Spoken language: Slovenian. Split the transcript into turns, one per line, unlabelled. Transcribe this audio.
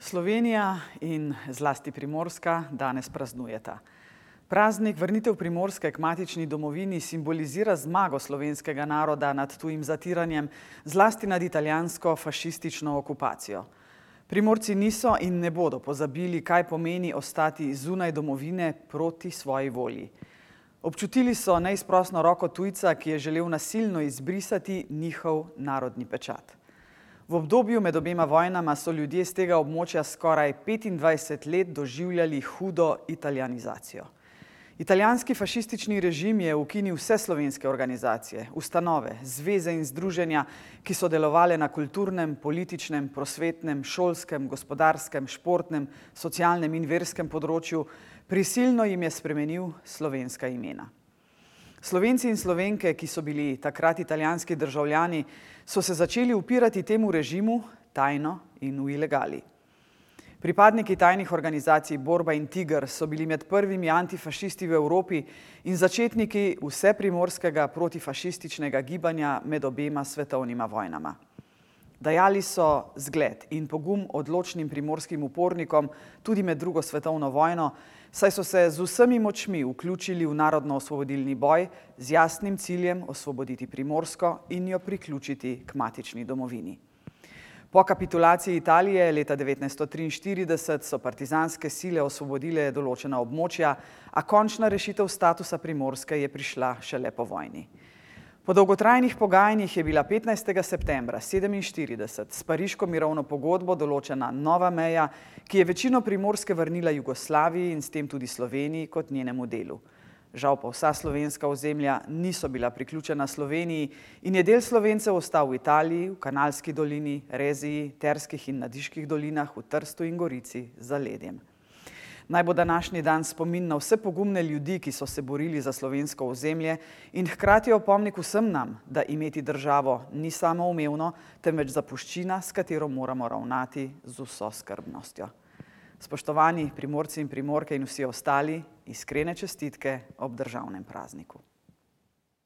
Slovenija in zlasti Primorska danes praznujeta. Praznik vrnitev Primorske k matični domovini simbolizira zmago slovenskega naroda nad tujim zatiranjem, zlasti nad italijansko fašistično okupacijo. Primorci niso in ne bodo pozabili, kaj pomeni ostati zunaj domovine proti svoji volji. Občutili so neizprosno roko tujca, ki je želel nasilno izbrisati njihov narodni pečat. V obdobju med obema vojnama so ljudje z tega območja skoraj 25 let doživljali hudo italijanizacijo. Italijanski fašistični režim je ukinil vse slovenske organizacije, ustanove, zveze in združenja, ki so delovale na kulturnem, političnem, prosvetnem, šolskem, gospodarskem, športnem, socialnem in verskem področju, prisilno jim je spremenil slovenska imena. Slovenci in Slovenke, ki so bili takrat italijanski državljani, so se začeli upirati temu režimu tajno in v ilegali. Pripadniki tajnih organizacij Borba in Tiger so bili med prvimi antifašisti v Evropi in začetniki vseprimorskega protifašističnega gibanja med obema svetovnima vojnama. Dajali so zgled in pogum odločnim primorskim upornikom tudi med drugo svetovno vojno, saj so se z vsemi močmi vključili v narodno-osvobodilni boj z jasnim ciljem osvoboditi Primorsko in jo priključiti k matični domovini. Po kapitulaciji Italije leta 1943 so partizanske sile osvobodile določena območja, a končna rešitev statusa Primorske je prišla šele po vojni. Po dolgotrajnih pogajanjih je bila 15. septembra 1947 s Pariško mirovno pogodbo določena nova meja, ki je večino Primorske vrnila Jugoslaviji in s tem tudi Sloveniji kot njenemu delu. Žal pa vsa slovenska ozemlja niso bila priključena Sloveniji in je del Slovencev ostal v Italiji, v Kanalski dolini, Reziji, Terskih in Nadiških dolinah, v Trstu in Gorici z zaledjem. Naj bo današnji dan spomin na vse pogumne ljudi, ki so se borili za slovensko ozemlje in hkrati opomnik vsem nam, da imeti državo ni samoumevno, temveč zapuščina, s katero moramo ravnati z vso skrbnostjo. Spoštovani Primorci in Primorke in vsi ostali, iskrene čestitke ob državnem prazniku.